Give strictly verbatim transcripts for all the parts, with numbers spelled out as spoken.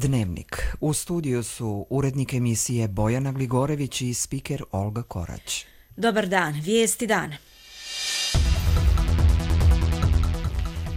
Dnevnik. U studiju su urednik emisije Bojana Gligorević i spiker Olga Korać. Dobar dan, vijesti dana.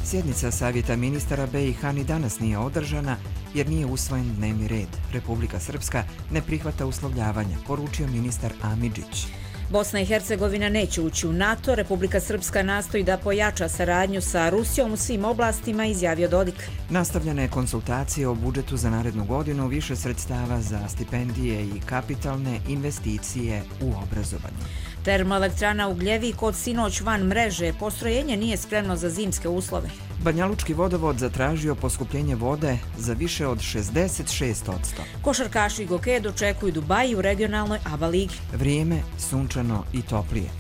Sjednica Savjeta ministara be i ha ni danas nije održana jer nije usvojen dnevni red. Republika Srpska ne prihvata uslovljavanja, poručio ministar Amidžić. Bosna i Hercegovina neće ući u NATO, Republika Srpska nastoji da pojača saradnju sa Rusijom u svim oblastima, izjavio Dodik. Nastavljene konsultacije o budžetu za narednu godinu, više sredstava za stipendije i kapitalne investicije u obrazovanju. Termoelektrana Ugljevik od sinoć van mreže, postrojenje nije spremno za zimske uslove. Banjalučki vodovod zatražio poskupljenje vode za više od šezdeset šest posto. Košarkaši i gokeje dočekuju Dubaji u regionalnoj A B A ligi. Vrijeme sunčano i toplije.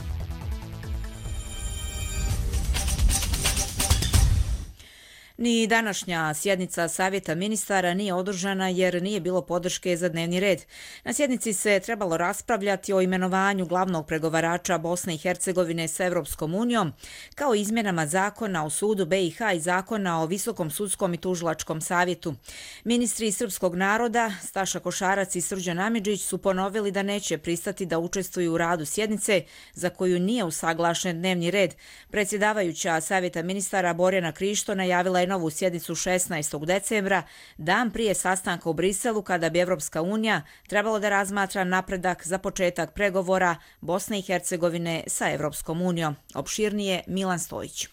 Ni današnja sjednica Savjeta ministara nije održana jer nije bilo podrške za dnevni red. Na sjednici se trebalo raspravljati o imenovanju glavnog pregovarača Bosne i Hercegovine s Evropskom unijom, kao izmjenama zakona o sudu be i ha i zakona o Visokom sudskom i tužilačkom savjetu. Ministri srpskog naroda, Staša Košarac i Srđan Amidžić, su ponovili da neće pristati da učestvuju u radu sjednice za koju nije usaglašen dnevni red. Predsjedavajuća Savjeta ministara Borjana Krišto najavila je novu sjednicu šesnaestog decembra, dan prije sastanka u Briselu kada bi Evropska unija trebalo da razmatra napredak za početak pregovora Bosne i Hercegovine sa Evropskom unijom. Opširnije Milan Stojić.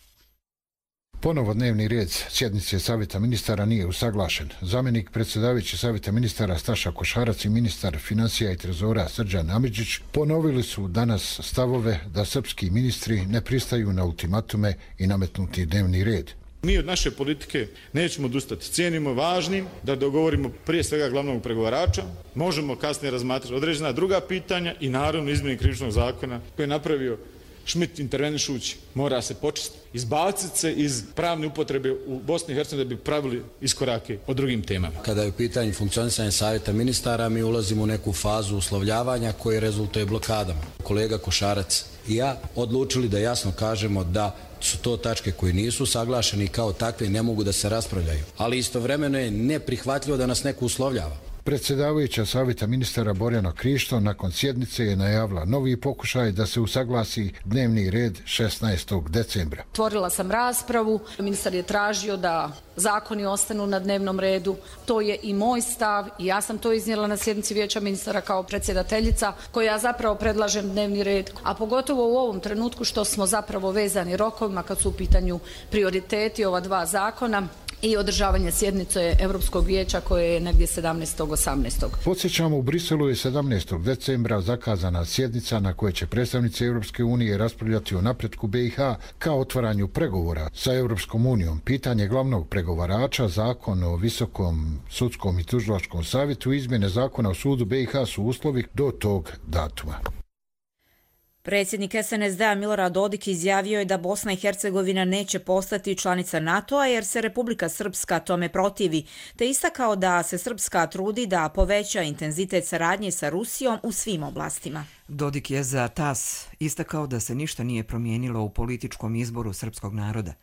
Ponovo dnevni red sjednice Savjeta ministara nije usaglašen. Zamjenik predsjedavajući Savjeta ministara Staša Košarac i ministar financija i trezora Srđan Amidžić ponovili su danas stavove da srpski ministri ne pristaju na ultimatume i nametnuti dnevni red. Mi od naše politike nećemo odustati. Cijenimo važnim da dogovorimo prije svega glavnog pregovarača. Možemo kasnije razmatrati određena druga pitanja i naravno izmjene krivičnog zakona koje je napravio Šmit intervenišući. Mora se počistiti, izbaciti se iz pravne upotrebe u Bosni i Hercegovini da bi pravili iskorake o drugim temama. Kada je u pitanju funkcionisanje Savjeta ministara, mi ulazimo u neku fazu uslovljavanja koje rezultuje blokadama. Kolega Košarac i ja odlučili da jasno kažemo da su to tačke koje nisu saglašeni i kao takve ne mogu da se raspravljaju. Ali istovremeno je neprihvatljivo da nas neko uslovljava. Predsjedavajuća Savjeta ministara Borjana Krišto nakon sjednice je najavila novi pokušaj da se usaglasi dnevni red šesnaestog decembra. Otvorila sam raspravu, ministar je tražio da zakoni ostanu na dnevnom redu. To je i moj stav i ja sam to iznijela na sjednici Vijeća ministara kao predsjedateljica koja zapravo predlažem dnevni red, a pogotovo u ovom trenutku što smo zapravo vezani rokovima kad su u pitanju prioriteti ova dva zakona i održavanje sjednice Europskog vijeća koje je negdje sedamnaestog osamnaestog Podsjećamo, u Briselu je sedamnaestog decembra zakazana sjednica na kojoj će predstavnici Europske unije raspravljati o napretku be i ha kao otvaranju pregovora sa Europskom unijom. Pitanje glavnog pregovarača, zakon o Visokom sudskom i tužilačkom savjetu, izmjene zakona o sudu be i ha su uslovi do tog datuma. Predsjednik es en es de a Milorad Dodik izjavio je da Bosna i Hercegovina neće postati članica NATO-a jer se Republika Srpska tome protivi, te istakao da se Srpska trudi da poveća intenzitet saradnje sa Rusijom u svim oblastima. Dodik je za tas istakao da se ništa nije promijenilo u političkom izboru srpskog naroda.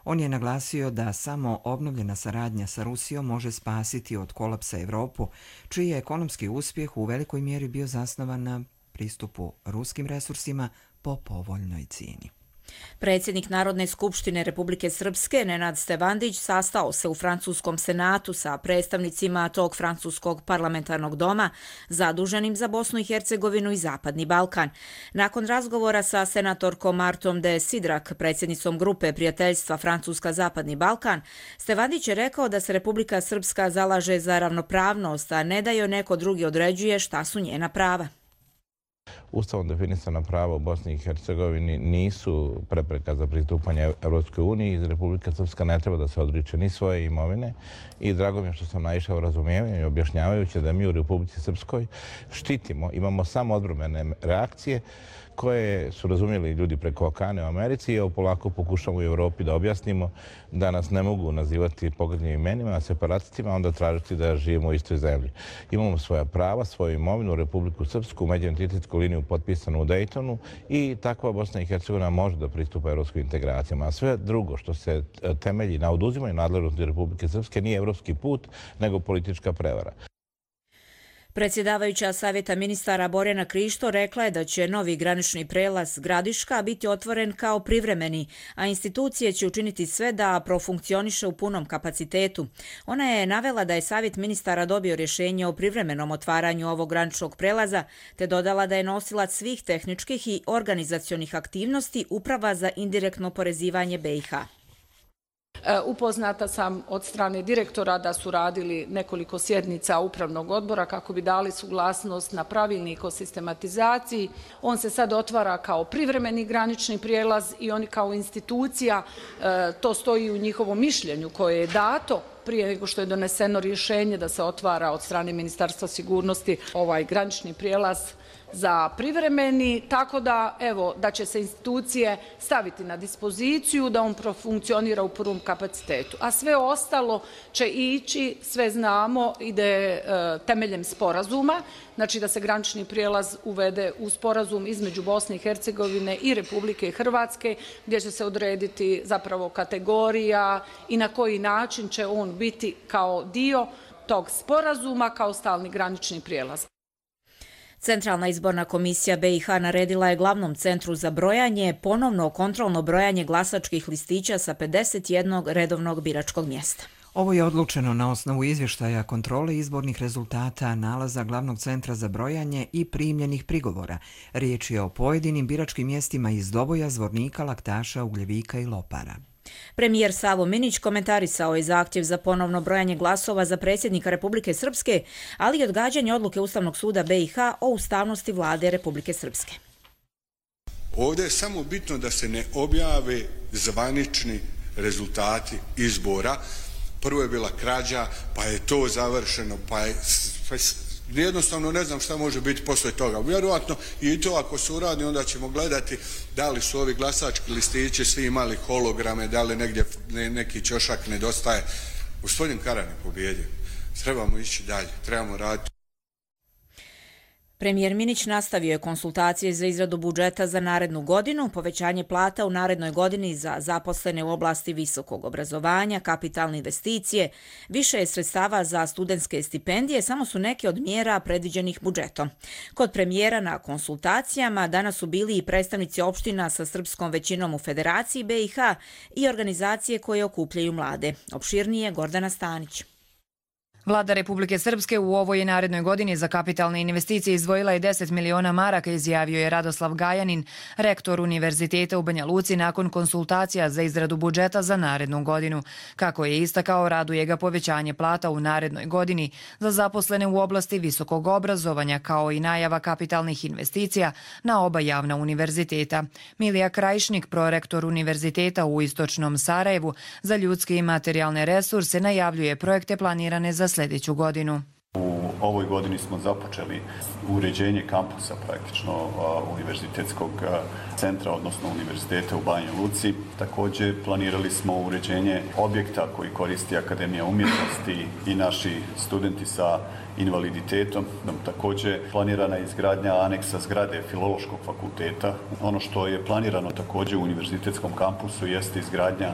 On je naglasio da samo obnovljena saradnja sa Rusijom može spasiti od kolapsa Evropu, čiji je ekonomski uspjeh u velikoj mjeri bio zasnovan na pristupu ruskim resursima po povoljnoj cijeni. Predsjednik Narodne skupštine Republike Srpske Nenad Stevandić sastao se u francuskom senatu sa predstavnicima tog francuskog parlamentarnog doma zaduženim za Bosnu i Hercegovinu i Zapadni Balkan. Nakon razgovora sa senatorkom Martom de Sidrak, predsjednicom grupe prijateljstva Francuska-Zapadni Balkan, Stevandić je rekao da se Republika Srpska zalaže za ravnopravnost, a ne da joj neko drugi određuje šta su njena prava. Ustavom definisana prava u Bosni i Hercegovini nisu prepreka za pristupanje Evropskoj uniji. Republika Srpska ne treba da se odriče ni svoje imovine i drago mi je što sam naišao razumijevanje i objašnjavajući da mi u Republici Srpskoj štitimo, imamo samo odbrambene reakcije koje su razumjeli ljudi preko Okane u Americi i evo polako pokušamo u Evropi da objasnimo da nas ne mogu nazivati pogrdnim imenima, separatistima, onda tražiti da živimo u istoj zemlji. Imamo svoja prava, svoju imovinu, Republiku Srpsku, međuentitetsku liniju sporazumiju potpisanu u Daytonu i takva Bosna i Hercegovina može da pristupa evropskim integracijama. A sve drugo što se temelji na oduzimanju nadležnosti Republike Srpske nije evropski put, nego politička prevara. Predsjedavajuća Savjeta ministara Borjana Krišto rekla je da će novi granični prelaz Gradiška biti otvoren kao privremeni, a institucije će učiniti sve da profunkcioniše u punom kapacitetu. Ona je navela da je Savjet ministara dobio rješenje o privremenom otvaranju ovog graničnog prelaza, te dodala da je nosilac svih tehničkih i organizacionih aktivnosti Uprava za indirektno oporezivanje B i H. Upoznata sam od strane direktora da su radili nekoliko sjednica upravnog odbora kako bi dali suglasnost na pravilnik o sistematizaciji. On se sad otvara kao privremeni granični prijelaz i oni kao institucija, to stoji u njihovom mišljenju koje je dato prije nego što je doneseno rješenje da se otvara od strane Ministarstva sigurnosti ovaj granični prijelaz za privremeni, tako da evo da će se institucije staviti na dispoziciju da on profunkcionira u prvom kapacitetu. A sve ostalo će ići, sve znamo, ide e, temeljem sporazuma, znači da se granični prijelaz uvede u sporazum između Bosne i Hercegovine i Republike Hrvatske, gdje će se odrediti zapravo kategorija i na koji način će on biti kao dio tog sporazuma, kao stalni granični prijelaz. Centralna izborna komisija B i H naredila je glavnom centru za brojanje ponovno kontrolno brojanje glasačkih listića sa pedeset jednog redovnog biračkog mjesta. Ovo je odlučeno na osnovu izvještaja kontrole izbornih rezultata, nalaza glavnog centra za brojanje i primljenih prigovora. Riječ je o pojedinim biračkim mjestima iz Doboja, Zvornika, Laktaša, Ugljevika i Lopara. Premijer Savo Minić komentarisao je zahtjev za ponovno brojanje glasova za predsjednika Republike Srpske, ali i odgađanje odluke Ustavnog suda B i H o ustavnosti vlade Republike Srpske. Ovdje je samo bitno da se ne objave zvanični rezultati izbora. Prvo je bila krađa, pa je to završeno, pa je... Jednostavno ne znam šta može biti poslije toga. Vjerojatno i to ako se uradi, onda ćemo gledati da li su ovi glasački listići svi imali holograme, da li negdje ne, neki ćošak nedostaje. Gospodin Karan je pobjedio. Trebamo ići dalje, trebamo raditi. Premijer Minić nastavio je konsultacije za izradu budžeta za narednu godinu, povećanje plata u narednoj godini za zaposlene u oblasti visokog obrazovanja, kapitalne investicije, više je sredstava za studentske stipendije, samo su neke od mjera predviđenih budžetom. Kod premijera na konsultacijama danas su bili i predstavnici opština sa srpskom većinom u Federaciji B i H i organizacije koje okupljaju mlade. Opširnije Gordana Stanić. Vlada Republike Srpske u ovoj i narednoj godini za kapitalne investicije izdvojila je deset miliona maraka, izjavio je Radoslav Gajanin, rektor Univerziteta u Banja Luci nakon konsultacija za izradu budžeta za narednu godinu. Kako je istakao, raduje ga povećanje plata u narednoj godini za zaposlene u oblasti visokog obrazovanja, kao i najava kapitalnih investicija na oba javna univerziteta. Milija Krajišnik, prorektor Univerziteta u Istočnom Sarajevu za ljudske i materijalne resurse, najavljuje projekte planirane za sljedeću godinu. U ovoj godini smo započeli uređenje kampusa praktično univerzitetskog centra, odnosno univerziteta u Banja Luci. Također planirali smo uređenje objekta koji koristi Akademija umjetnosti i naši studenti sa invaliditetom. Također planirana je izgradnja aneksa zgrade Filološkog fakulteta. Ono što je planirano također u univerzitetskom kampusu jeste izgradnja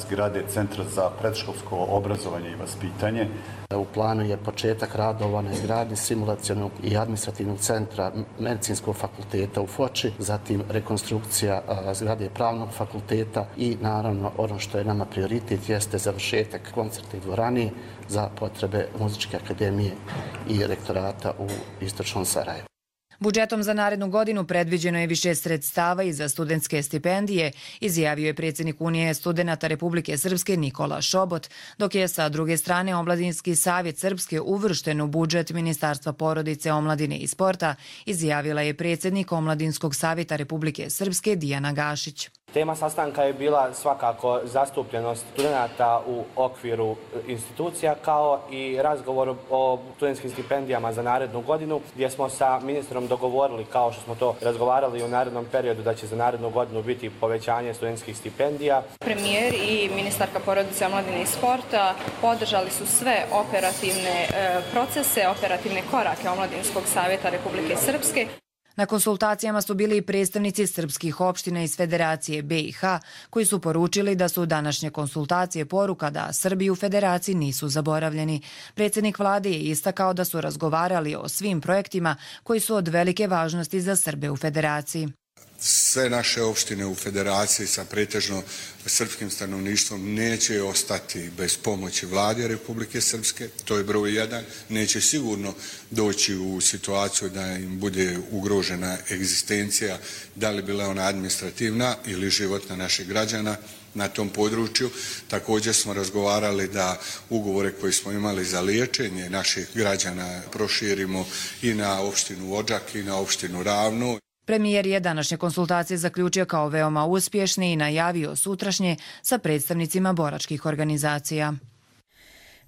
zgrade Centra za predškolsko obrazovanje i vaspitanje. U planu je početak radova na izgradnji simulacionog i administrativnog centra Medicinskog fakulteta u Foči, zatim rekonstrukcija zgrade Pravnog fakulteta i naravno ono što je nama prioritet jeste završetak koncertne dvorane za potrebe Muzičke akademije i rektorata u Istočnom Sarajevu. Budžetom za narednu godinu predviđeno je više sredstava i za studentske stipendije, izjavio je predsjednik Unije studenata Republike Srpske Nikola Šobot, dok je sa druge strane Omladinski savjet Srpske uvršten u budžet Ministarstva porodice, omladine i sporta, izjavila je predsjednik Omladinskog savjeta Republike Srpske Dijana Gašić. Tema sastanka je bila svakako zastupljenost studenata u okviru institucija, kao i razgovor o studentskim stipendijama za narednu godinu, gdje smo sa ministrom dogovorili, kao što smo to razgovarali u narednom periodu, da će za narednu godinu biti povećanje studentskih stipendija. Premijer i ministarka porodice, omladine i sporta podržali su sve operativne procese, operativne korake Omladinskog savjeta Republike Srpske. Na konsultacijama su bili i predstavnici srpskih opština iz Federacije B i H, koji su poručili da su današnje konsultacije poruka da Srbi u Federaciji nisu zaboravljeni. Predsjednik vlade je istakao da su razgovarali o svim projektima koji su od velike važnosti za Srbe u Federaciji. Sve naše opštine u Federaciji sa pretežno srpskim stanovništvom neće ostati bez pomoći vlade Republike Srpske, to je broj jedan. Neće sigurno doći u situaciju da im bude ugrožena egzistencija, da li bila ona administrativna ili životna naših građana na tom području. Također smo razgovarali da ugovore koje smo imali za liječenje naših građana proširimo i na opštinu Odžak i na opštinu Ravno. Premijer je današnje konsultacije zaključio kao veoma uspješne i najavio sutrašnje sa predstavnicima boračkih organizacija.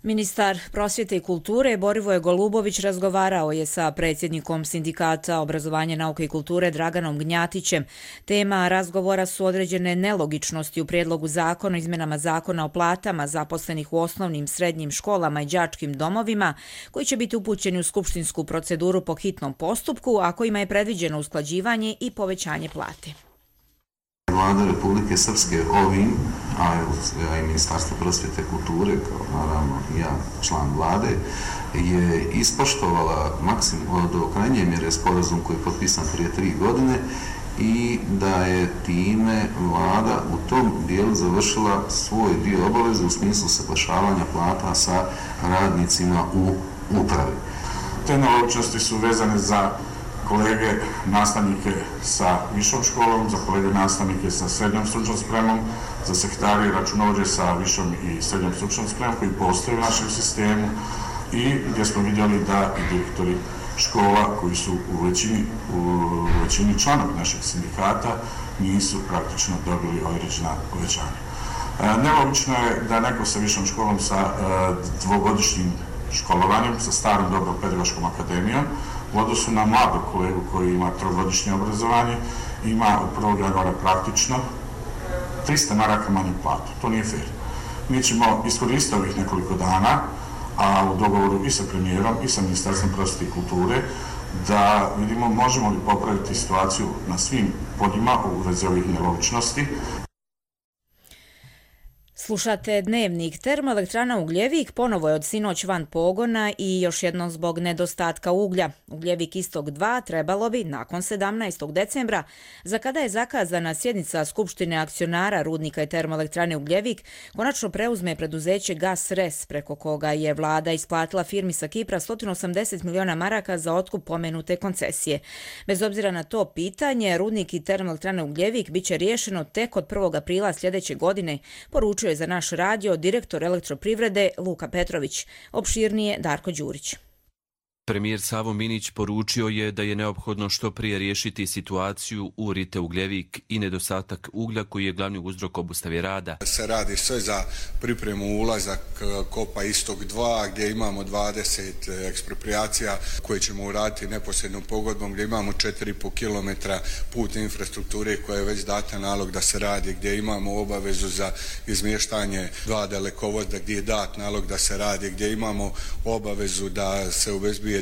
Ministar prosvjete i kulture Borivoje Golubović razgovarao je sa predsjednikom Sindikata obrazovanja, nauke i kulture Draganom Gnjatićem. Tema razgovora su određene nelogičnosti u prijedlogu zakona o izmenama zakona o platama zaposlenih u osnovnim, srednjim školama i đačkim domovima, koji će biti upućeni u skupštinsku proceduru po hitnom postupku, a kojima je predviđeno usklađivanje i povećanje plate. Vlada Republike Srpske ovim, a i Ministarstvo prosvjete i kulture, kao naravno ja, član vlade, je ispoštovala maksimum do krajnje mjere sporazum koji je potpisan prije tri godine i da je time vlada u tom dijelu završila svoj dio obaveze u smislu saglašavanja plata sa radnicima u upravi. Te nelogičnosti su vezane za kolege nastavnike sa višom školom, za kolege nastavnike sa srednjom stručnom spremom, za sekretare i računovođe sa višom i srednjom stručnom spremom koji postoje u našem sistemu i gdje smo vidjeli da i direktori škola koji su u većini, u većini članovi našeg sindikata nisu praktično dobili određena povećanja. E, nelogično je da neko sa višom školom sa e, dvogodišnjim školovanjem, sa starom dobrom pedagoškom akademijom, u odnosu na mladog kolegu koji ima trogodišnje obrazovanje, ima u prvog januara praktično trista maraka manju platu. To nije fair. Mi ćemo iskoristiti ovih nekoliko dana, a u dogovoru i sa premijerom i sa Ministarstvom prosvjete i kulture, da vidimo možemo li popraviti situaciju na svim poljima u vezi ovih nelogičnosti. Slušate Dnevnik. Termoelektrana Ugljevik ponovo je od sinoć van pogona i još jednom zbog nedostatka uglja. Ugljevik Istok dva trebalo bi nakon sedamnaestog decembra, za kada je zakazana sjednica Skupštine akcionara rudnika i termoelektrane Ugljevik, konačno preuzme preduzeće Gas Res, preko koga je vlada isplatila firmi sa Kipra sto osamdeset miliona maraka za otkup pomenute koncesije. Bez obzira na to pitanje, rudnik i termoelektrane Ugljevik biće riješeno tek od prvog aprila sljedeće godine, poručuje za naš radio direktor elektroprivrede Luka Petrović. Opširnije Darko Đurić. Premijer Savo Minić poručio je da je neophodno što prije riješiti situaciju u Rite Ugljevik i nedostatak uglja koji je glavni uzrok obustave rada. Se radi sve za pripremu ulazak kopa Istok dva gdje imamo dvadeset ekspropriacija koje ćemo uraditi neposrednom pogodbom, gdje imamo četiri i pol kilometra putne infrastrukture koja je već data nalog da se radi, gdje imamo obavezu za izmještanje dva dalekovoda gdje je dat nalog da se radi, gdje imamo obavezu da se obezbijedi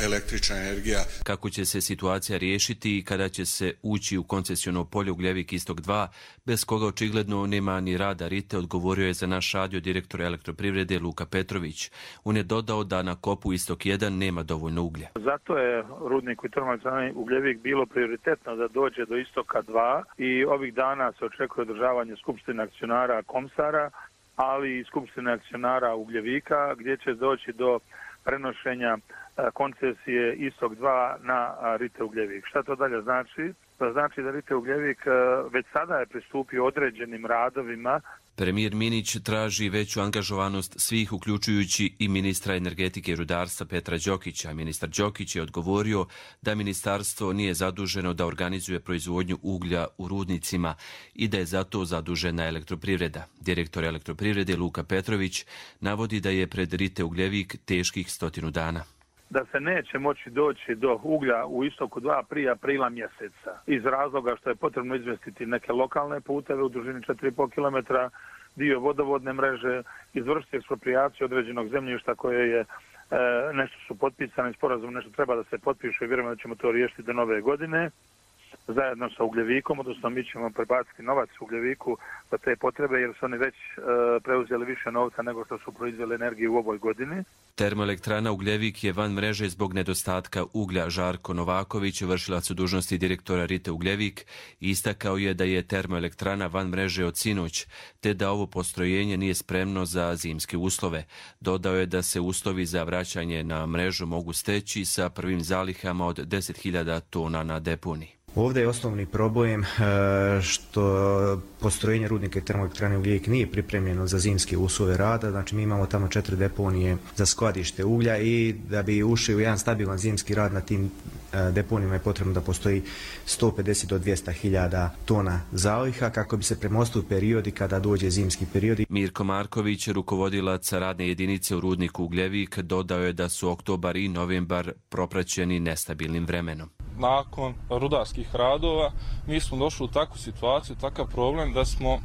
električna energija. Kako će se situacija riješiti i kada će se ući u koncesiono polje Ugljevik Istok dva, bez koga očigledno nema ni rada Rite, odgovorio je za naš radio direktor elektroprivrede Luka Petrović. On je dodao da na kopu Istok jedan nema dovoljno uglja. Zato je rudniku i termoelektrani Ugljevik bilo prioritetno da dođe do Istoka dva i ovih dana se očekuje održavanje skupštine akcionara Komsara, ali i skupštine akcionara Ugljevika, gdje će doći do prenošenja koncesije Istok dva na Rite Ugljevik. Šta to dalje znači? To znači da Rite Ugljevik već sada je pristupio određenim radovima. Premijer Minić traži veću angažovanost svih, uključujući i ministra energetike i rudarstva Petra Đokića. Ministar Đokić je odgovorio da ministarstvo nije zaduženo da organizuje proizvodnju uglja u rudnicima i da je zato zadužena elektroprivreda. Direktor elektroprivrede Luka Petrović navodi da je pred Rite Ugljevik teških stotinu dana. Da se neće moći doći do uglja u Istoku dva prije aprila mjeseca. Iz razloga što je potrebno izmjestiti neke lokalne puteve u dužini četiri i pol kilometra, dio vodovodne mreže, izvršiti eksproprijaciju određenog zemljišta koje je nešto su potpisani sporazum, nešto treba da se potpiše i vjerujemo da ćemo to riješiti do nove godine zajedno sa Ugljevikom, odnosno mi ćemo prebaciti novac Ugljeviku za te potrebe jer su oni već preuzeli više novca nego što su proizveli energiju u ovoj godini. Termoelektrana Ugljevik je van mreže zbog nedostatka uglja. Žarko Novaković, vršilac dužnosti direktora Rite Ugljevik, istakao je da je termoelektrana van mreže od sinoć, te da ovo postrojenje nije spremno za zimske uslove. Dodao je da se uslovi za vraćanje na mrežu mogu steći sa prvim zalihama od deset hiljada tona na deponiji. Ovdje je osnovni problem što postrojenje rudnika i termoelektrane Ugljevik nije pripremljeno za zimske uslove rada, znači mi imamo tamo četiri deponije za skladište uglja i da bi ušli u jedan stabilan zimski rad na tim deponijama je potrebno da postoji sto pedeset do dvjesto hiljada tona zaliha kako bi se premostili periodi kada dođe zimski period. Mirko Marković, rukovodilac radne jedinice u rudniku Ugljevik, dodao je da su oktobar i novembar propraćeni nestabilnim vremenom. Nakon rudarskih radova mi smo došli u takvu situaciju, takav problem da smo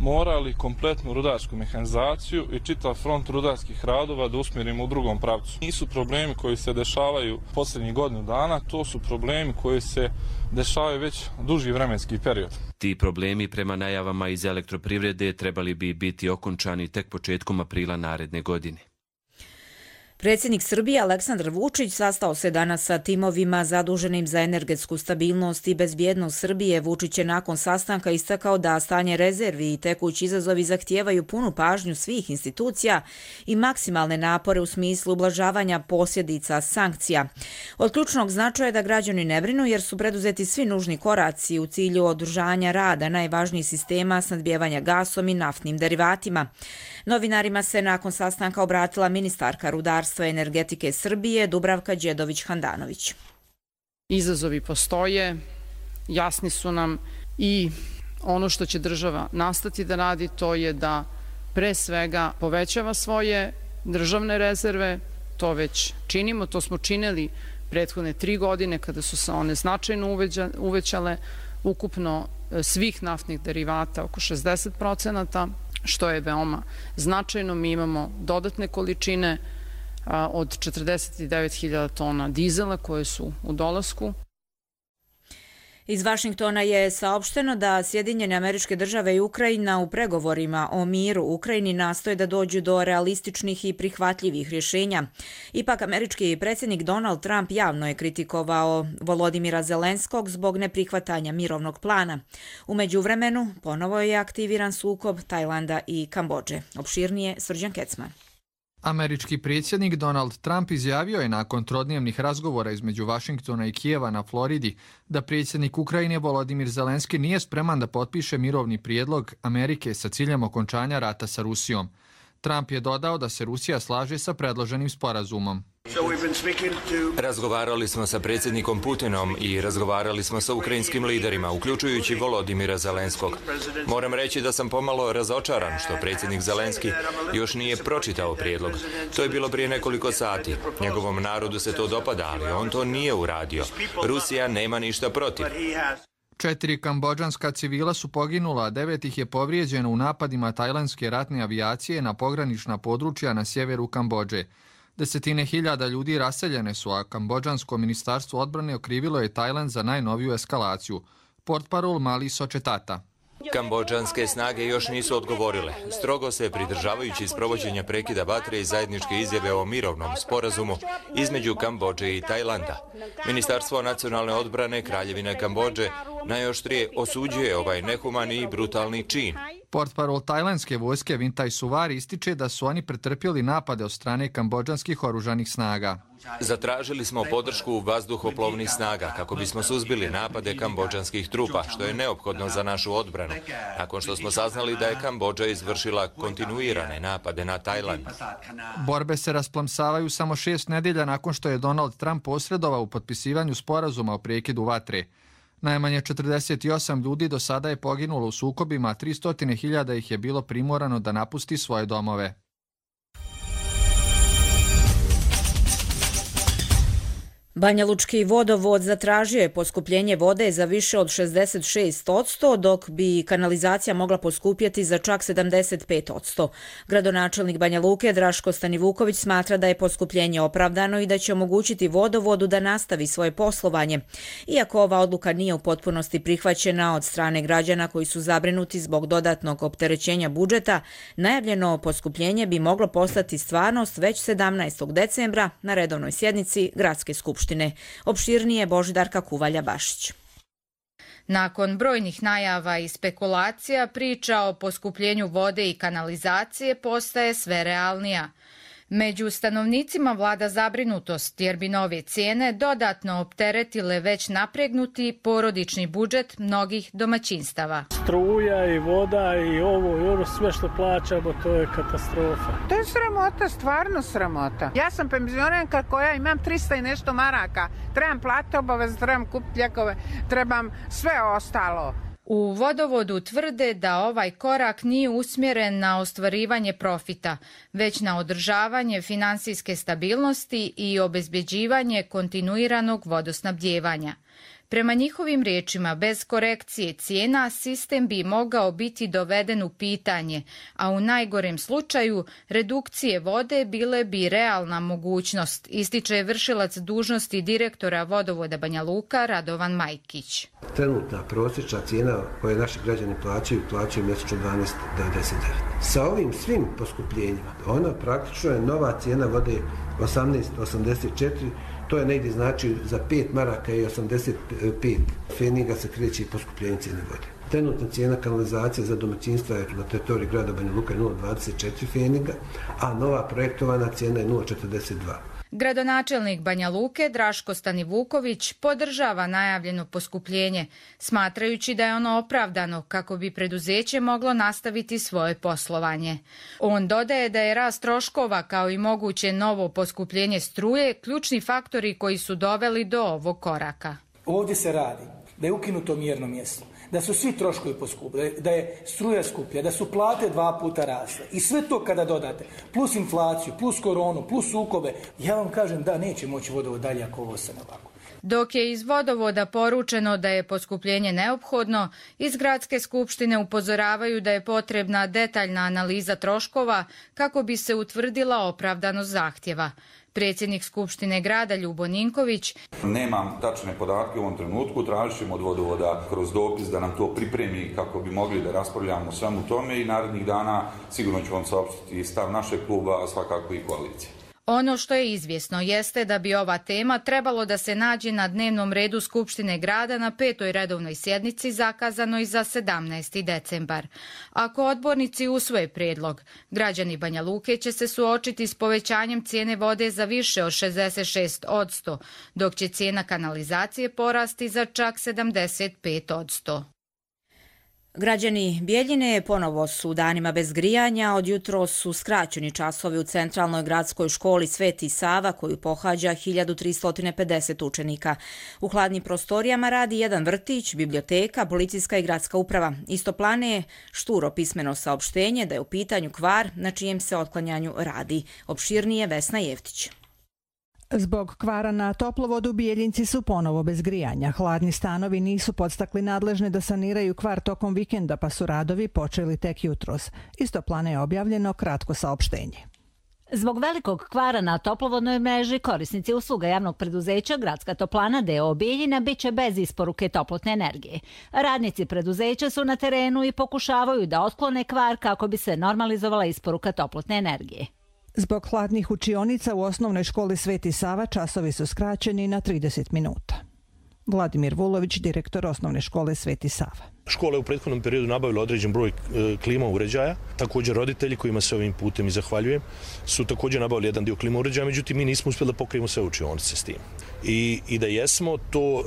morali kompletnu rudarsku mehanizaciju i čitav front rudarskih radova da usmjerimo u drugom pravcu. Nisu problemi koji se dešavaju posljednjih godinu dana, to su problemi koji se dešavaju već duži vremenski period. Ti problemi prema najavama iz elektroprivrede trebali bi biti okončani tek početkom aprila naredne godine. Predsjednik Srbije Aleksandar Vučić sastao se danas sa timovima zaduženim za energetsku stabilnost i bezbjednost Srbije. Vučić je nakon sastanka istakao da stanje rezervi i tekući izazovi zahtijevaju punu pažnju svih institucija i maksimalne napore u smislu ublažavanja posljedica sankcija. Od ključnog značaja je da građani ne brinu jer su preduzeti svi nužni koraci u cilju održanja rada najvažnijih sistema snadbijevanja gasom i naftnim derivatima. Novinarima se nakon sastanka obratila ministarka rudarstva i energetike Srbije Dubravka Đedović-Handanović. Izazovi postoje, jasni su nam i ono što će država nastati da radi to je da pre svega povećava svoje državne rezerve, to već činimo, to smo činili prethodne tri godine kada su se one značajno uvećale, ukupno svih naftnih derivata oko šezdeset procenata, što je veoma značajno. Mi imamo dodatne količine od četrdeset devet hiljada tona dizela koje su u dolasku. Iz Vašingtona je saopšteno da Sjedinjene Američke Države i Ukrajina u pregovorima o miru u Ukrajini nastoje da dođu do realističnih i prihvatljivih rješenja. Ipak američki predsjednik Donald Trump javno je kritikovao Volodimira Zelenskog zbog neprihvatanja mirovnog plana. U međuvremenu ponovo je aktiviran sukob Tajlanda i Kambodže. Opširnije Srđan Kecman. Američki predsjednik Donald Trump izjavio je nakon trodnevnih razgovora između Vašingtona i Kijeva na Floridi da predsjednik Ukrajine Volodimir Zelenski nije spreman da potpiše mirovni prijedlog Amerike sa ciljem okončanja rata sa Rusijom. Trump je dodao da se Rusija slaže sa predloženim sporazumom. Razgovarali smo sa predsjednikom Putinom i razgovarali smo sa ukrajinskim liderima, uključujući Volodimira Zelenskog. Moram reći da sam pomalo razočaran što predsjednik Zelenski još nije pročitao prijedlog. To je bilo prije nekoliko sati. Njegovom narodu se to dopada, ali on to nije uradio. Rusija nema ništa protiv. Četiri kambodžanska civila su poginula, a devet ih je povrijeđeno u napadima tajlandske ratne avijacije na pogranična područja na sjeveru Kambodže. Desetine hiljada ljudi raseljene su, a kambodžansko ministarstvo odbrane okrivilo je Tajland za najnoviju eskalaciju. Portparol Mali Sočetata. Kambodžanske snage još nisu odgovorile. Strogo se pridržavajući sprovođenja prekida vatre i zajedničke izjave o mirovnom sporazumu između Kambodže i Tajlanda. Ministarstvo nacionalne odbrane Kraljevine Kambodže najoštrije osuđuje ovaj nehumani i brutalni čin. Portparol tajlandske vojske Vintaj Suvari ističe da su oni pretrpjeli napade od strane kambodžanskih oružanih snaga. Zatražili smo podršku vazduhoplovnih snaga kako bismo suzbili napade kambodžanskih trupa, što je neophodno za našu odbranu, nakon što smo saznali da je Kambodža izvršila kontinuirane napade na Tajland. Borbe se rasplamsavaju samo šest nedelja nakon što je Donald Trump posredovao u potpisivanju sporazuma o prekidu vatre. Najmanje četrdeset osam ljudi do sada je poginulo u sukobima, a tristo hiljada ih je bilo primorano da napusti svoje domove. Banjalučki vodovod zatražio je poskupljenje vode za više od šezdeset šest posto, dok bi kanalizacija mogla poskupjeti za čak sedamdeset pet posto. Gradonačelnik Banja Luke Draško Stanivuković smatra da je poskupljenje opravdano i da će omogućiti vodovodu da nastavi svoje poslovanje. Iako ova odluka nije u potpunosti prihvaćena od strane građana koji su zabrinuti zbog dodatnog opterećenja budžeta, najavljeno poskupljenje bi moglo postati stvarnost već sedamnaestog decembra na redovnoj sjednici Gradske skupštine. Opširnije Božidarka Kuvalja-Bašić. Nakon brojnih najava i spekulacija, priča o poskupljenju vode i kanalizacije postaje sve realnija. Među stanovnicima vlada zabrinutost jer bi nove cijene dodatno opteretile već napregnuti porodični budžet mnogih domaćinstava. Struja i voda i ovo i ovo sve što plaćamo, to je katastrofa. To je sramota, stvarno sramota. Ja sam penzionerka koja imam trista i nešto maraka. Trebam platiti obavez, trebam kupiti lijekove, trebam sve ostalo. U vodovodu tvrde da ovaj korak nije usmjeren na ostvarivanje profita, već na održavanje finansijske stabilnosti i obezbjeđivanje kontinuiranog vodosnabdijevanja. Prema njihovim riječima, bez korekcije cijena sistem bi mogao biti doveden u pitanje, a u najgorem slučaju redukcije vode bile bi realna mogućnost, ističe vršilac dužnosti direktora vodovoda Banja Luka Radovan Majkić. Trenutna prosječna cijena koje naši građani plaćaju, plaćaju mjesečno dvanaest devedeset devet. Sa ovim svim poskupljenjima, ona praktično je nova cijena vode osamnaest osamdeset četiri. To je negdje znači za pet maraka i osamdeset pet pfeniga se kreće poskupljenje cijene vode. Trenutna cijena kanalizacije za domaćinstva je na teritoriji grada Banja Luka nula zarez dvadeset četiri pfeniga, a nova projektovana cijena je nula zarez četrdeset dva. Gradonačelnik Banja Luke Draško Stanivuković podržava najavljeno poskupljenje, smatrajući da je ono opravdano kako bi preduzeće moglo nastaviti svoje poslovanje. On dodaje da je rast troškova kao i moguće novo poskupljenje struje ključni faktori koji su doveli do ovog koraka. Ovdje se radi da je ukinuto mjerno mjesto, da su svi troškovi poskupili, da je struja skuplja, da su plate dva puta rasle. I sve to kada dodate, plus inflaciju, plus koronu, plus sukobe, ja vam kažem da neće moći vodovod dalje ako ovo se ne ovako. Dok je iz vodovoda poručeno da je poskupljenje neophodno, iz Gradske skupštine upozoravaju da je potrebna detaljna analiza troškova kako bi se utvrdila opravdanost zahtjeva. Predsjednik Skupštine grada Ljubo Ninković: Nemam tačne podatke u ovom trenutku, tražit ćemo od vodovoda kroz dopis da nam to pripremi kako bi mogli da raspravljamo o svemu tome i narednih dana sigurno ću vam saopštiti stav našeg kluba, a svakako i koalicije. Ono što je izvjesno jeste da bi ova tema trebalo da se nađe na dnevnom redu Skupštine grada na petoj redovnoj sjednici zakazanoj za sedamnaesti decembar. Ako odbornici usvoje prijedlog, građani Banja Luke će se suočiti s povećanjem cijene vode za više od šezdeset šest posto, dok će cijena kanalizacije porasti za čak sedamdeset pet posto. Građani Bijeljine ponovo su danima bez grijanja, od jutro su skraćeni časovi u centralnoj gradskoj školi Sveti Sava koju pohađa hiljadu tristo pedeset učenika. U hladnim prostorijama radi jedan vrtić, biblioteka, policijska i gradska uprava. Istoplane je šturo pismeno saopštenje da je u pitanju kvar na čijem se otklanjanju radi. Opširnije Vesna Jeftić. Zbog kvara na toplovodu Bijeljinci su ponovo bez grijanja. Hladni stanovi nisu podstakli nadležne da saniraju kvar tokom vikenda, pa su radovi počeli tek jutros. Istoplane je objavljeno kratko saopštenje. Zbog velikog kvara na toplovodnoj mreži, korisnici usluga javnog preduzeća Gradska toplana d o o Bijeljina bit će bez isporuke toplotne energije. Radnici preduzeća su na terenu i pokušavaju da otklone kvar kako bi se normalizovala isporuka toplotne energije. Zbog hladnih učionica u osnovnoj školi Sveti Sava časovi su skraćeni na trideset minuta. Vladimir Vulović, direktor osnovne škole Sveti Sava. Škola je u prethodnom periodu nabavila određen broj klima uređaja. Također roditelji, kojima se ovim putem i zahvaljujem, su također nabavili jedan dio klima uređaja, međutim mi nismo uspjeli da pokrijemo sve učionice s tim. I, i da jesmo, to uh,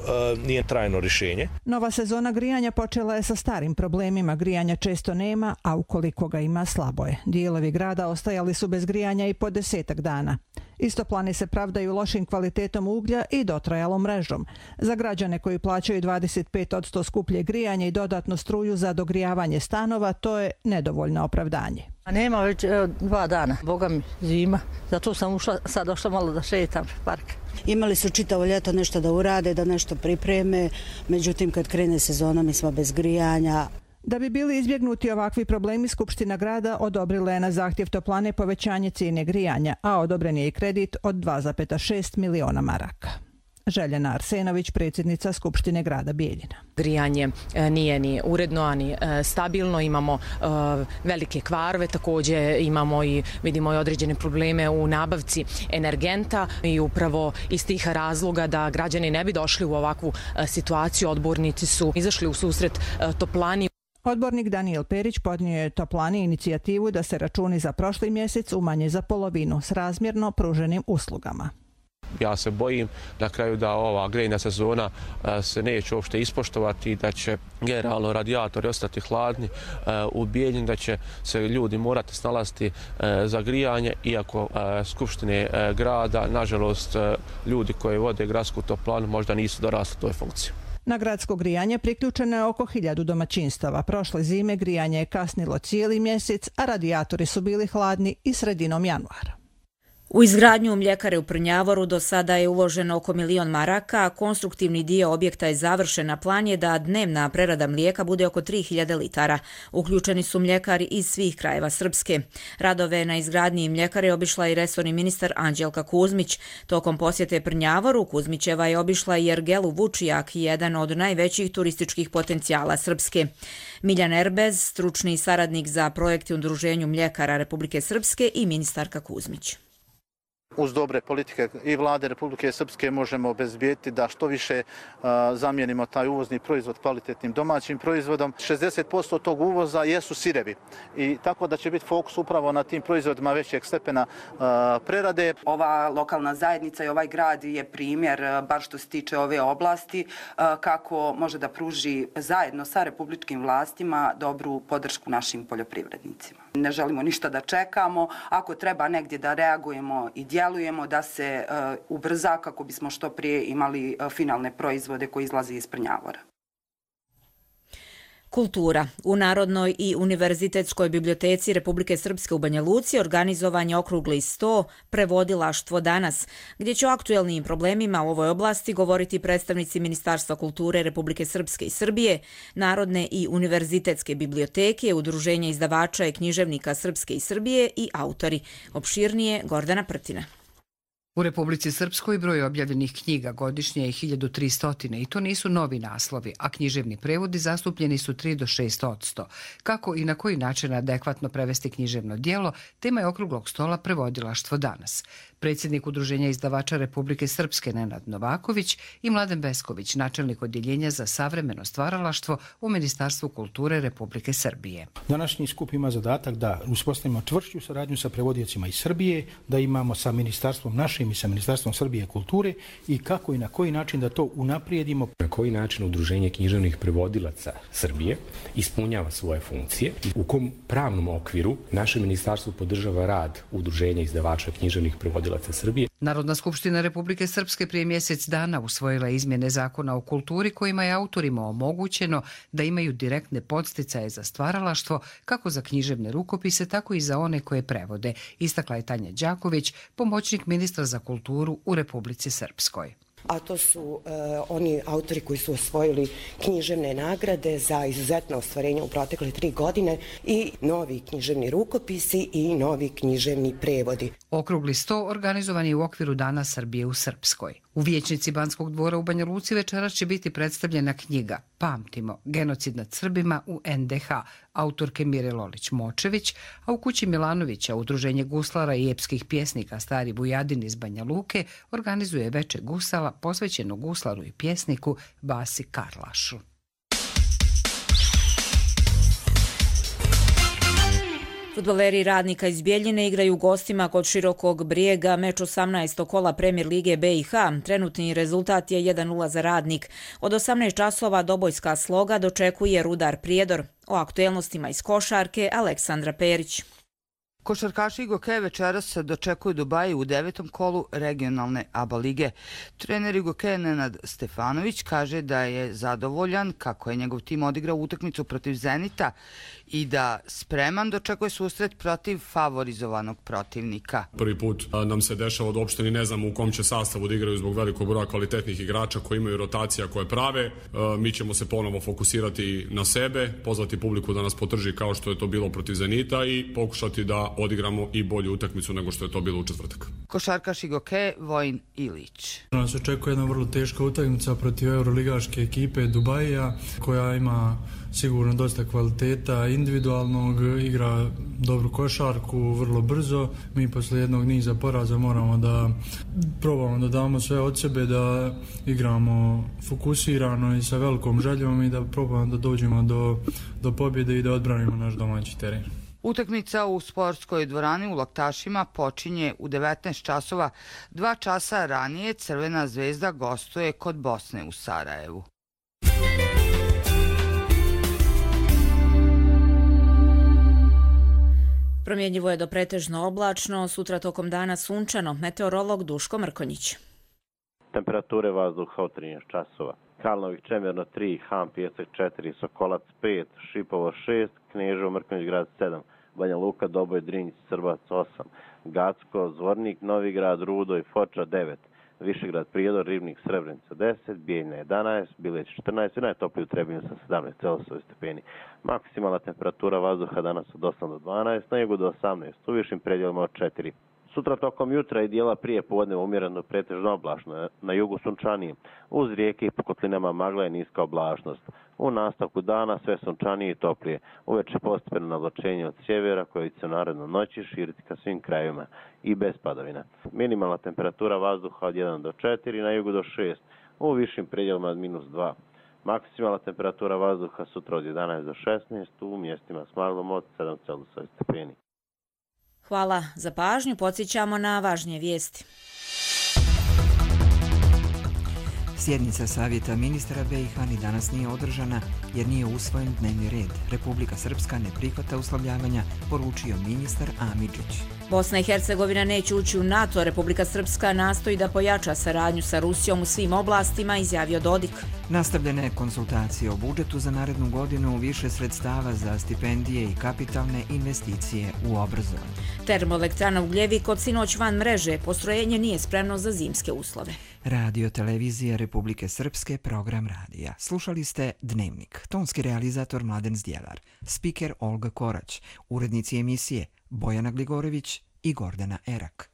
nije trajno rješenje. Nova sezona grijanja počela je sa starim problemima. Grijanja često nema, a ukoliko ga ima, slabo je. Dijelovi grada ostajali su bez grijanja i po desetak dana. Istoplani se pravdaju lošim kvalitetom uglja i dotrajalom mrežom. Za građane koji plaćaju dvadeset pet posto skuplje grijanje i dodatno struju za dogrijavanje stanova, to je nedovoljno opravdanje. A nema već evo, dva dana, boga mi zima, zato sam ušla, sad došla malo da šetam park. Imali su čitavo ljeto nešto da urade, da nešto pripreme, međutim kad krene sezona mi smo bez grijanja. Da bi bili izbjegnuti ovakvi problemi, Skupština grada odobrila je na zahtjev Toplane povećanje cijene grijanja, a odobren je i kredit od dva zarez šest miliona maraka. Željena Arsenović, predsjednica Skupštine grada Bijeljina. Grijanje nije ni uredno, ani stabilno, imamo velike kvarove, također imamo i vidimo i određene probleme u nabavci energenta i upravo iz tih razloga da građani ne bi došli u ovakvu situaciju, odbornici su izašli u susret Toplani. Odbornik Daniel Perić podnio je Toplani inicijativu da se računi za prošli mjesec umanje za polovinu s razmjerno pruženim uslugama. Ja se bojim na kraju da ova grejna sezona se neće uopšte ispoštovati, da će generalno radijatori ostati hladni u Bijeljini, da će se ljudi morati snalaziti za grijanje, iako skupštine grada, nažalost, ljudi koji vode gradsku toplanu možda nisu dorasli toj funkciji. Na gradsko grijanje priključeno je oko hiljadu domaćinstava. Prošle zime grijanje je kasnilo cijeli mjesec, a radijatori su bili hladni i sredinom januara. U izgradnju mljekare u Prnjavoru do sada je uloženo oko milion maraka, a konstruktivni dio objekta je završen, a plan je da dnevna prerada mlijeka bude oko tri hiljade litara. Uključeni su mljekari iz svih krajeva Srpske. Radove na izgradnji mljekare obišla i resorni ministar Anđelka Kuzmić. Tokom posjete Prnjavoru, Kuzmićeva je obišla i Ergelu Vučijak, jedan od najvećih turističkih potencijala Srpske. Miljan Erbez, stručni saradnik za projekte u Udruženju mljekara Republike Srpske, i ministarka Kuzmić. Uz dobre politike i vlade Republike Srpske možemo obezbijeti da što više zamijenimo taj uvozni proizvod kvalitetnim domaćim proizvodom. šezdeset posto tog uvoza jesu sirevi i tako da će biti fokus upravo na tim proizvodima većeg stepena prerade. Ova lokalna zajednica i ovaj grad je primjer, bar što se tiče ove oblasti, kako može da pruži zajedno sa republičkim vlastima dobru podršku našim poljoprivrednicima. Ne želimo ništa da čekamo, ako treba negdje da reagujemo i djelujemo, da se uh, ubrza kako bismo što prije imali uh, finalne proizvode koji izlaze iz Prnjavora. Kultura. U Narodnoj i Univerzitetskoj biblioteci Republike Srpske u Banja Luci organizovan je okrugli sto Prevodilaštvo danas, gdje će o aktuelnim problemima u ovoj oblasti govoriti predstavnici Ministarstva kulture Republike Srpske i Srbije, Narodne i Univerzitetske biblioteke, Udruženja izdavača i književnika Srpske i Srbije i autori. Opširnije Gordana Prtina. U Republici Srpskoj broj objavljenih knjiga godišnje je hiljadu tristo i to nisu novi naslovi, a književni prevodi zastupljeni su tri do šest odsto. Kako i na koji način adekvatno prevesti književno djelo, tema je okruglog stola Prevodilaštvo danas. Predsjednik Udruženja izdavača Republike Srpske Nenad Novaković i Mladen Besković, načelnik odjeljenja za savremeno stvaralaštvo u Ministarstvu kulture Republike Srbije. Današnji skup ima zadatak da uspostavimo čvršću saradnju sa prevodiocima iz Srbije, da imamo sa ministarstvom našim i sa Ministarstvom Srbije kulture i kako i na koji način da to unaprijedimo. Na koji način Udruženje književnih prevodilaca Srbije ispunjava svoje funkcije, u kom pravnom okviru naše ministarstvo podržava rad Udruženja izdavača književnih prevodilaca Srbije. Narodna skupština Republike Srpske prije mjesec dana usvojila izmjene zakona o kulturi kojima je autorima omogućeno da imaju direktne podsticaje za stvaralaštvo kako za književne rukopise, tako i za one koje prevode, istakla je Tanja Đaković, pomoćnik ministra za kulturu u Republici Srpskoj. A to su e, oni autori koji su osvojili književne nagrade za izuzetno ostvarenje u protekle tri godine i novi književni rukopisi i novi književni prevodi. Okrugli sto organizovan je u okviru Dana Srbije u Srpskoj. U vijećnici Banskog dvora u Banja Luci večeras će biti predstavljena knjiga Pamtimo, genocid nad Srbima u en de ha, autorke Mire Lolić-Močević, a u kući Milanovića Udruženje guslara i epskih pjesnika Stari Bujadin iz Banja Luke organizuje veče gusala posvećeno guslaru i pjesniku Vasi Karlašu. Fudbaleri Radnika iz Bijeljine igraju gostima kod Širokog Brijega meč osamnaestog kola Premijer lige be i ha. Trenutni rezultat je jedan nula za Radnik. Od osamnaest časova Dobojska Sloga dočekuje Rudar Prijedor. O aktuelnostima iz košarke Aleksandra Perić. Košarkaši Igoke večeras dočekuju Dubaji u devetom kolu regionalne ABA lige. Trener Igoke Nenad Stefanović kaže da je zadovoljan kako je njegov tim odigrao utakmicu protiv Zenita i da spreman dočekuje susret protiv favorizovanog protivnika. Prvi put nam se dešava da uopšte ni ne znamo u kom će sastavu da igraju zbog velikog broja kvalitetnih igrača koji imaju rotacija koje prave. Mi ćemo se ponovo fokusirati na sebe, pozvati publiku da nas podrži kao što je to bilo protiv Zenita i pokušati da odigramo i bolju utakmicu nego što je to bilo u četvrtak. Košarkaš Igoke Vojin Ilić. Nas očekuje jedna vrlo teška utakmica protiv euroligaške ekipe Dubaija koja ima sigurno dosta kvaliteta individualnog, igra dobru košarku, vrlo brzo. Mi posle jednog niza poraza moramo da probamo da damo sve od sebe, da igramo fokusirano i sa velikom željom i da probamo da dođemo do, do pobjede i da odbranimo naš domaći teren. Utakmica u sportskoj dvorani u Laktašima počinje u devetnaest časova. Dva časa ranije Crvena zvezda gostuje kod Bosne u Sarajevu. Promjenjivo je do pretežno oblačno, sutra tokom dana sunčano. Meteorolog Duško Mrkonjić. Temperature vazduha od trinaest časova. Kalnovih Čemerno tri, Han Pijesak četiri, Sokolac pet, Šipovo šest, Kneževo Mrkonjić grad sedam, Banja Luka, Doboj, Drinjić, Srbac osam, Gacko, Zvornik, Novigrad, Rudo i Foča devet, Višegrad, Prijedor, Ribnik, Srebrenica deset, Bijeljina jedanaest, Bileć četrnaest i najtopliji u Trebinju sa sedamnaest Celzijusovih stepeni. Maksimalna temperatura vazduha danas od osam do dvanaest, na jugu do osamnaest, u višim predjelima od četiri. Sutra tokom jutra i dijela prije podne umjereno pretežno oblačno, na jugu sunčanije. Uz rijeke i po kotlinama magla je niska oblačnost. U nastavku dana sve sunčanije i toplije. Uveče postepeno navlačenje od sjevera koje će se naredno noći širiti ka svim krajevima i bez padavina. Minimalna temperatura vazduha od jedan do četiri, na jugu do šest, u višim predjelima od minus dva. Maksimalna temperatura vazduha sutra od jedanaest do šesnaest, u mjestima s maglom od sedam Celzijusovih stepeni. Hvala za pažnju, podsjećamo na važnije vijesti. Sjednica Savjeta ministara B i H ni danas nije održana jer nije usvojen dnevni red. Republika Srpska ne prihvata uslovljavanja, poručio ministar Amidžić. Bosna i Hercegovina neće ući u NATO, Republika Srpska nastoji da pojača saradnju sa Rusijom u svim oblastima, izjavio Dodik. Nastavljene konsultacije o budžetu za narednu godinu, više sredstava za stipendije i kapitalne investicije u obrazovanje. Termoelektrana Ugljevik od sinoć van mreže, postrojenje nije spremno za zimske uslove. Radio Televizije Republike Srpske, program radija. Slušali ste Dnevnik, tonski realizator Mladen Zdjelar, spiker Olga Korać, urednici emisije Bojana Gligorević i Gordana Erak.